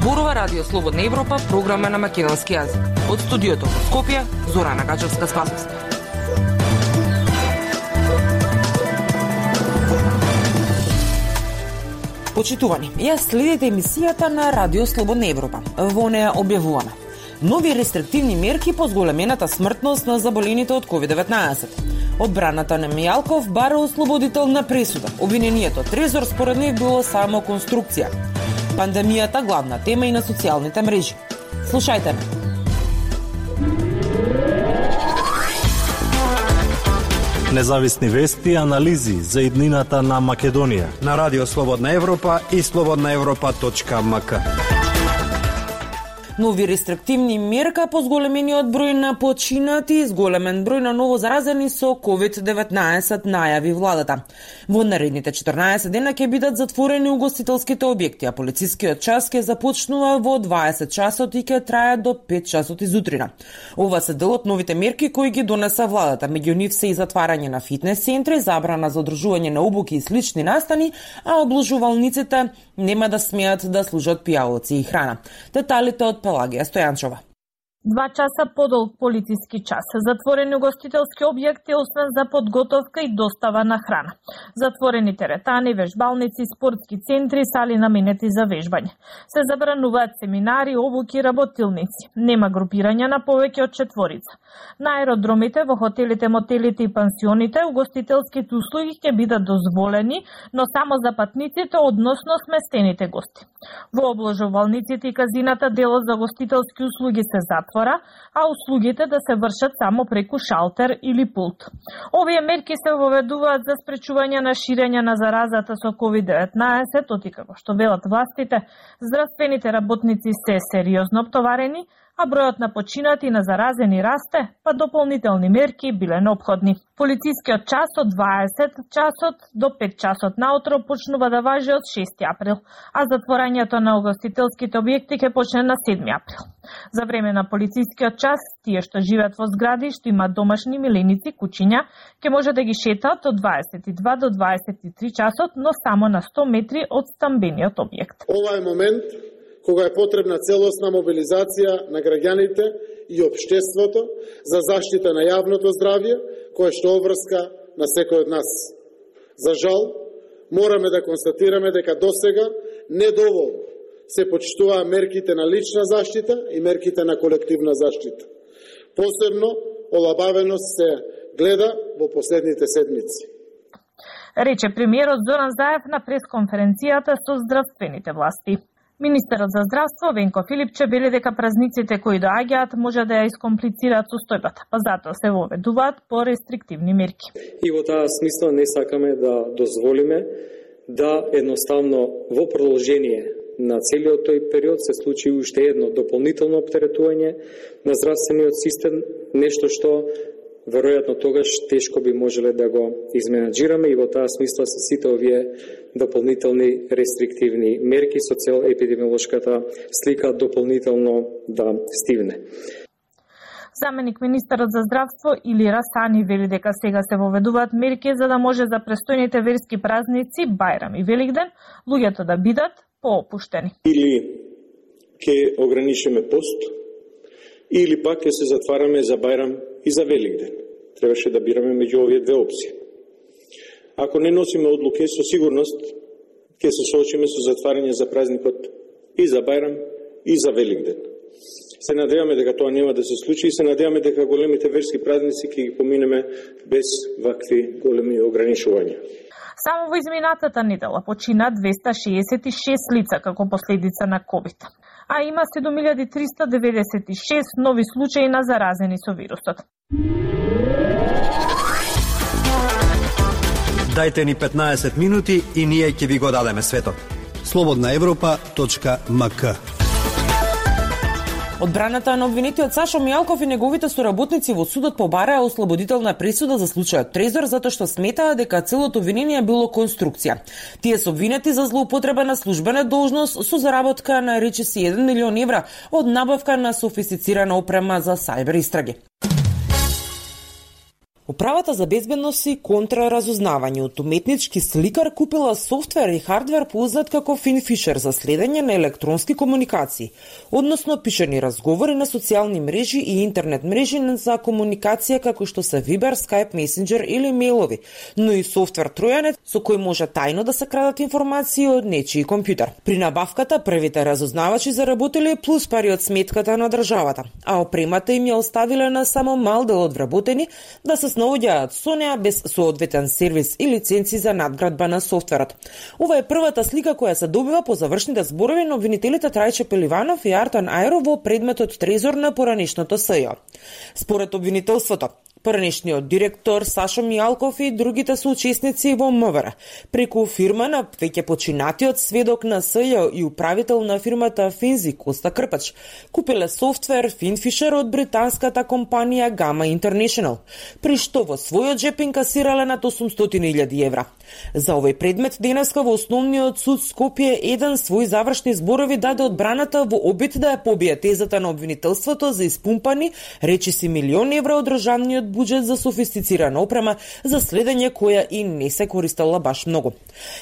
Зборува Радио Слободна Европа, програма на македонски јазик. Од студиото во Скопје, Зорана Гачевска-Спасовска. Почитувани, ја следите емисијата на Радио Слободна Европа. Во неја објавуваме нови рестриктивни мерки по зголемената смртност на заболените од COVID-19. Одбраната на Мијалков бара ослободителна пресуда. Обвинението Трезор според нив било само конструкција. Пандемијата главна тема и на социјалните мрежи. Слушајте ме. Независни вести и анализи за иднината на Македонија на Радио Слободна Европа и slobodnaevropa.mk. Нови рестриктивни мерка по зголемениот број на починати и зголемен број на ново заразени со COVID-19 најави владата. Во наредните 14 дена ќе бидат затворени угостителските објекти, а полицискиот час ќе започнува во 20 часот и ќе трае до 5 часот изутрина. Ова се дел од новите мерки кои ги донеса владата. Меѓу нив се и затварање на фитнес центри, забрана за одржување на обуки и слични настани, а обложувалниците нема да смеат да служат пијалоци и храна. Деталите од Пелагија Стојанчова. 2 часа подолг полициски час. Затворени угостителски објекти освен за подготовка и достава на храна. Затворени теретани, вежбалници, спортски центри, сали наменети за вежбање. Се забрануваат семинари, обуки, работилници. Нема групирање на повеќе од 4. На аеродромите, во хотелите, мотелите и пансионите, угостителските услуги ќе бидат дозволени, но само за патниците, односно сместените гости. Во обложувалниците и казината делот за гостителски услуги се затвора, а услугите да се вршат само преку шалтер или пулт. Овие мерки се воведуваат за спречување на ширење на заразата со COVID-19, оти како што велат властите, здравствените работници се сериозно обтоварени, а бројот на починати и на заразени расте, па дополнителни мерки биле неопходни. Полицискиот час од 20 часот до 5 часот наутро почнува да важи од 6 април, а затворањето на угостителските објекти ќе почне на 7 април. За време на полицискиот час, тие што живеат во згради што имаат домашни миленици, кучиња, ќе може да ги шетаат од 22 до 23 часот, но само на 100 метри од стамбениот објект. Ова е момент кога е потребна целосна мобилизација на граѓаните и општеството за заштита на јавното здравје, кое што обврска на секој од нас. За жал, мораме да констатираме дека досега недоволно се почитуваа мерките на лична заштита и мерките на колективна заштита. Посебно, олабавеност се гледа во последните седмици. Рече премиерот Зоран Заев на пресконференцијата со здравствените власти. Министерот за здравство Венко Филипче вели дека празниците кои доаѓаат може да ја искомплицираат состојбата, па затоа се воведуваат по рестриктивни мерки. И во таа смисла не сакаме да дозволиме да едноставно во продолжение на целиот тој период се случи уште едно дополнително оптеретување на здравствениот систем, нешто што веројатно тогаш тешко би можеле да го изменаџираме и во таа смисла се сите овие дополнителни рестриктивни мерки со цел епидемиолошката слика дополнително да стивне. Заменик министерот за здравство Илира Сани вели дека сега се воведуваат мерки за да може за престојните верски празници, Бајрам и Великден, луѓето да бидат поопуштени. Или ќе ограничиме пост, или пак ќе се затвараме за Бајрам и за Великден. Требаше да бираме меѓу овие две опции. Ако не носиме одлуки, со сигурност ќе се соочиме со затварање за празникот и за Бајрам и за Великден. Се надеваме дека тоа нема да се случи и се надеваме дека големите верски празници ќе ги поминеме без вакви големи ограничувања. Само во изминатата недела почина 266 лица како последица на COVID, а има 7396 нови случаи на заразени со вирусот. Дајте ни 15 минути и ние ќе ви го дадеме светот. slobodnaevropa.mk. Одбраната на обвинетиот Сашо Мијалков и неговите соработници во судот побараа ослободителна пресуда за случајот Трезор затоа што сметаа дека целото обвинение било конструкција. Тие се обвинети за злоупотреба на службена должност со заработка на речиси 1 милион евра од набавка на софистицирана опрема за сајбер истраги. Управата за безбедност и контраразузнавање од уметнички сликар купила софтвер и хардвер познат како FinFisher за следење на електронски комуникации, односно пишани разговори на социјални мрежи и интернет мрежи за комуникација како што се Viber, Skype, Messenger или мејлови, но и софтвер тројанет со кој може тајно да се крадат информации од нечiji компјутер. При набавката првите разузнавачи заработиле плюс пари од сметката на државата, а опремата им ја оставиле на само мал дел од вработени да се снаоѓаат со неа без соодветен сервис и лиценци за надградба на софтверот. Ова е првата слика која се добива по завршните зборови на обвинителите Трајче Пеливанов и Артан Ајро во предметот Трезор на поранешното СЈ. Според обвинителството, поранешниот директор Сашо Мијалков и другите соучесници во МВР преку фирма на веќе починатиот сведок на СЈ и управител на фирмата Финзи Коста Крпач купиле софтвер FinFisher од британската компанија Gamma International, при што во својот джеп инкасирале над 800.000 евра. За овој предмет денеска во Основниот суд Скопје еден свој завршни зборови даде одбраната во обид да ја побие тезата на обвинителството за испумпани речиси милиони евра од државниот буџет за софистицирана опрема за следење која и не се користела баш многу.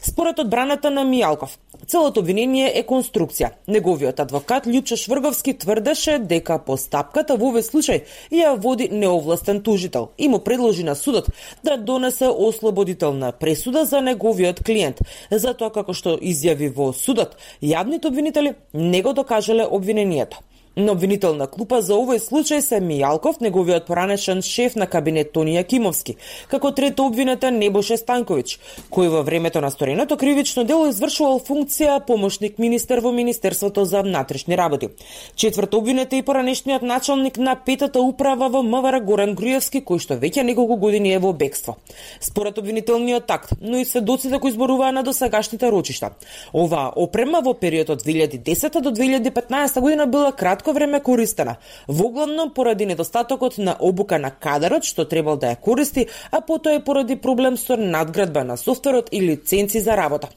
Според одбраната на Мијалков, целото обвинение е конструкција. Неговиот адвокат Љупчо Шврговски тврдеше дека постапката во овој случај ја води неовластен тужител и му предложи на судот да донесе ослободителна пресуда за неговиот клиент, затоа како што изјави во судот, јавните обвинители не го докажале обвинението. На обвинителна клупа за овој случај се Мијалков, неговиот поранешен шеф на кабинет Тони Јакимовски, како трето обвинетен Небоше Станковиќ, кој во времето на стореното кривично дело извршувал функција помошник министер во Министерството за внатрешни работи. Четврто обвинет е и поранешниот началник на петата управа во МВР Горан Груевски, кој што веќе неколку години е во бегство. Според обвинителниот такт, но и сведоците кои зборуваа на досегашните рочишта, оваа опрема во периодот од 2010 до 2015 година била кратко време користена, воглавно поради недостатокот на обука на кадарот што требал да ја користи, а потоа и поради проблем со надградба на софтверот и лиценци за работа.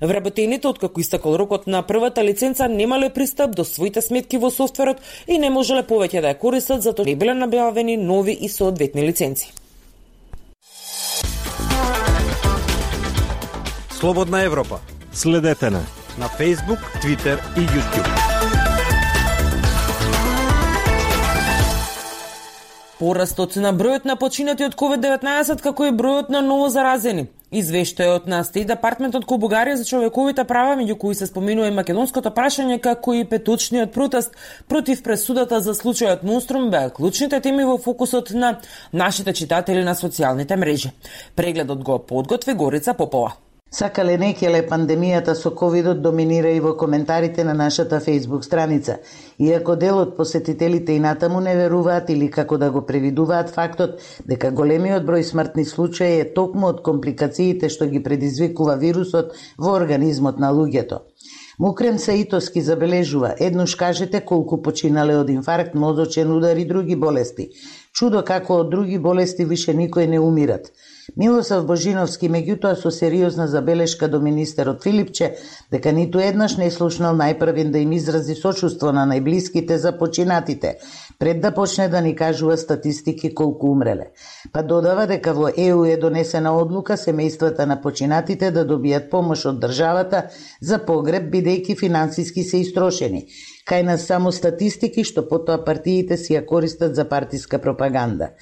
Вработените, откако истекол рокот на првата лиценца, немале пристап до своите сметки во софтверот и не можеле повеќе да ја користат, затоа не биле набавени нови и соодветни лиценци. Слободна Европа. Следете на Facebook, Twitter и YouTube. Порастот на бројот на починати од COVID-19 како и бројот на ново заразени. Извештајот на Стейт Департментот кон Бугарија за човековите права, меѓу кои се споминува и македонското прашање, како и петочниот протест против пресудата за случајот Монструм, беа клучните теми во фокусот на нашите читатели на социјалните мрежи. Прегледот го подготви Горица Попова. Сакале некеле, пандемијата со ковидот доминира и во коментарите на нашата Facebook страница. Иако дел од посетителите и натаму не веруваат или како да го превидуваат фактот дека големиот број смртни случаи е токму од компликациите што ги предизвикува вирусот во организмот на луѓето. Мукрем Саитовски забележува: еднош кажете колку починале од инфаркт, мозочен удар и други болести. Чудо како од други болести више никој не умират. Милосав Божиновски меѓутоа со сериозна забелешка до министерот Филипче дека ниту еднаш не слушнал најпрвен да им изрази сочувство на најблиските за починатите, пред да почне да ни кажува статистики колку умреле. Па додава дека во ЕУ е донесена одлука семејствата на починатите да добијат помош од државата за погреб, бидејќи финансиски се истрошени. Кај нас само статистики што потоа партиите си ја користат за партиска пропаганда.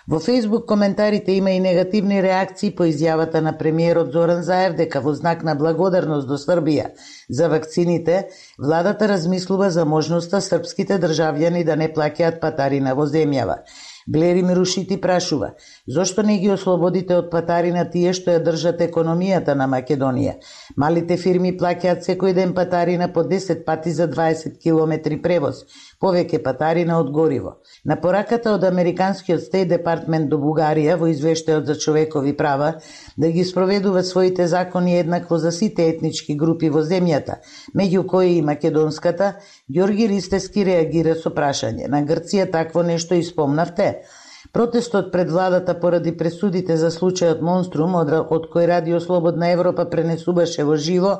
Во Facebook коментарите има и негативни реакции по изјавата на премиерот Зоран Заев дека во знак на благодарност до Србија за вакцините, владата размислува за можноста српските државјани да не плаќаат патарина во земјава. Блери Мирушити прашува: зошто не ги ослободите од патарина тие што ја држат економијата на Македонија? Малите фирми плаќаат секој ден патарина по 10 пати за 20 километри превоз, повеќе патарина од гориво. На пораката од Американскиот Стейт Департмент до Бугарија во извештајот за човекови права да ги спроведува своите закони еднакво за сите етнички групи во земјата, меѓу кои и македонската, Ѓорги Ристевски реагира со прашање: на Грција такво нешто испомнавте? Протестот пред владата поради пресудите за случајот Монструм, од кој Радио Слободна Европа пренесуваше во живо,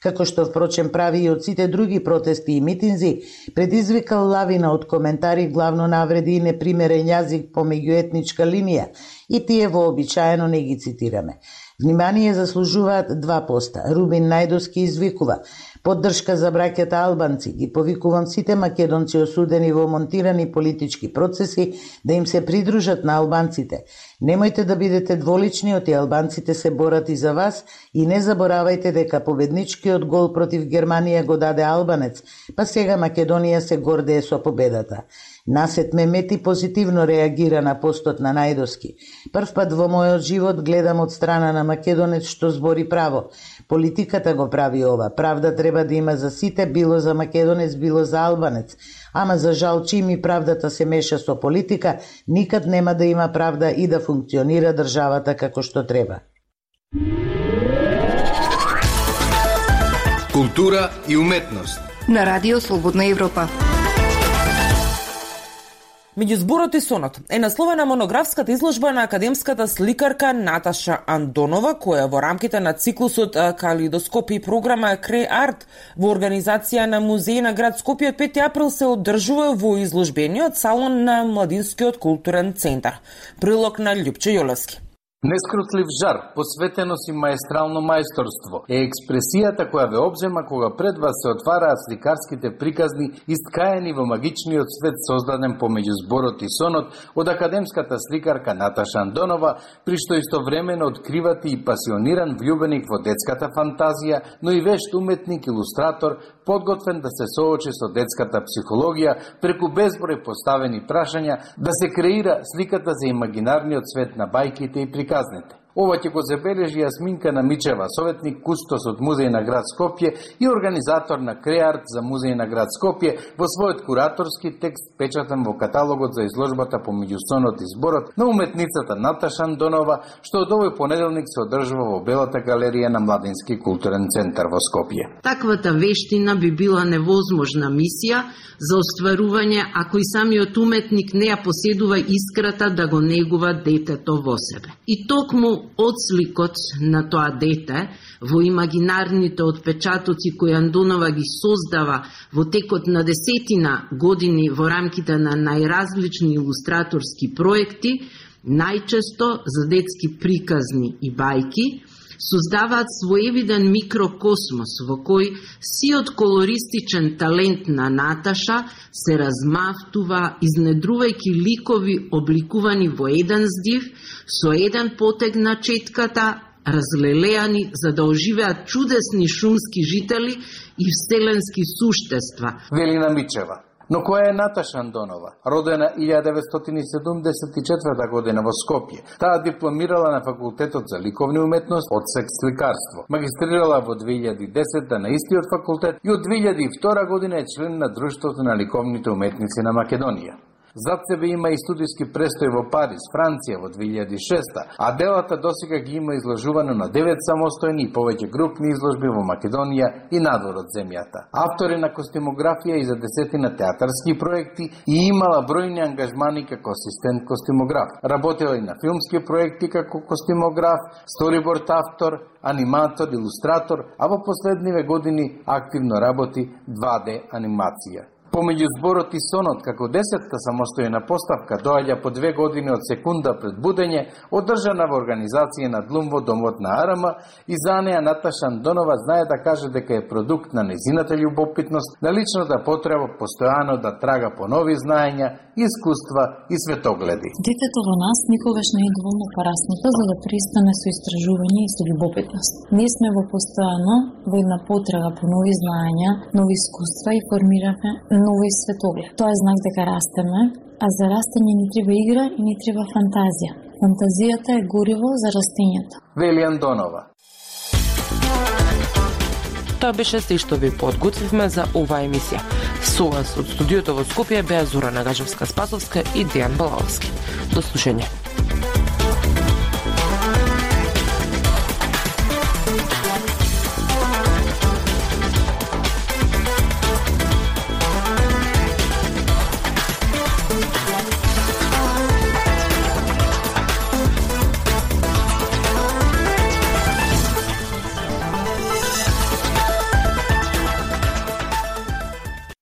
како што впрочем прави и од сите други протести и митинзи, предизвикал лавина од коментари, главно навреди и непримерен јазик по меѓуетничка линија, и тие вообичаено не ги цитираме. Внимание заслужуваат два поста. Рубин Најдовски извикува: поддршка за браќата албанци. Ги повикувам сите македонци осудени во монтирани политички процеси да им се придружат на албанците. Немојте да бидете дволични, оти албанците се борат и за вас, и не заборавајте дека победничкиот гол против Германија го даде албанец, па сега Македонија се гордее со победата. Насет Мемети позитивно реагира на постот на Најдовски. Прв пат во мојот живот гледам од страна на македонец што збори право. Политиката го прави ова. Правда треба да има за сите, било за македонец, било за албанец. Ама за жал, чим и правдата се меша со политика, никад нема да има правда и да функционира државата како што треба. Култура и уметност на Радио Слободна Европа. Меѓу зборот и сонот е насловена монографската изложба на академската сликарка Наташа Андонова, која во рамките на циклусот Калидоскоп и програма Креј Арт во организација на Музеј на град Скопје од 5 април се одржува во изложбениот салон на Младинскиот културен центар. Прилог на Љупче Јолевски. Нескрутлив жар, посветеност и маестрално мајсторство е експресијата која ве обзема кога пред вас се отвараат сликарските приказни искаени во магичниот свет создаден помеѓу зборот и сонот од академската сликарка Наташа Андонова, при што истовремено откривате и пасиониран влюбеник во детската фантазија, но и вешт уметник, илустратор, подготвен да се соочи со детската психологија преку безброј поставени прашања, да се креира сликата за имагинарниот свет на бајките и приказните. Ова ќе го забележи Јасминка Намичева, советник кустос од Музеј на град Скопје и организатор на Креј Арт за Музеј на град Скопје во својот кураторски текст печатен во каталогот за изложбата помеѓу сонот и зборот на уметницата Наташа Андонова, што од овој понеделник се одржува во Белата галерија на Младински културен центар во Скопје. Таквата вештина би била невозможна мисија за остварување ако и самиот уметник не ја поседува искрата да го негува детето во себе. И токму одсликот на тоа дете во имагинарните отпечатоци кои Андонова ги создава во текот на десетина години во рамките на најразлични илустраторски проекти, најчесто за детски приказни и бајки, создаваат своевиден микрокосмос во кој сиот колористичен талент на Наташа се размавтува, изнедрувајќи ликови обликувани во еден здив, со еден потег на четката, разлелеани за да оживеат чудесни шумски жители и вселенски суштества. Велина Мичева. Но која е Наташа Андонова? Родена 1974 година во Скопје. Таа дипломирала на факултетот за ликовни уметности од секс сликарство. Магистрирала во 2010 на истиот факултет и од 2002 година е член на Друштвото на ликовните уметници на Македонија. Зад себе има и студиски престој во Париз, Франција во 2006, а делата досега ги има изложувано на 9 самостојни и повеќе групни изложби во Македонија и надвор од земјата. Автор е на костимографија и за десетина театарски проекти и имала бројни ангажмани како асистент костимограф. Работела и на филмски проекти како костимограф, сториборд автор, аниматор, илустратор, а во последниве години активно работи 2D анимација. Помеѓу зборот и сонот, како 10-та самостојна поставка, доаѓа по 2 години од секунда пред будење, одржана во организација на Длум во домот на Арама, и за неа Наташа Андонова знае да каже дека е продукт на незината љубопитност, на личната потреба постојано да трага по нови знаења, искуства и светогледи. Детето во нас никогаш не е доволно пораснато за да пристане со истражување и со љубопитност. Ние сме во постојано во една потрага по нови знаења, нови искуства и формираме нови светоглед. Тоа е знак дека растеме, а за растење не треба игра и не треба фантазија. Фантазијата е гориво за растењата. Вели Андонова. Тоа беше се што ви подготвивме за оваа емисија. Со вас од студиото во Скопје беа Зора Нагажевска-Спасовска и Дејан Балаловски. До слушање.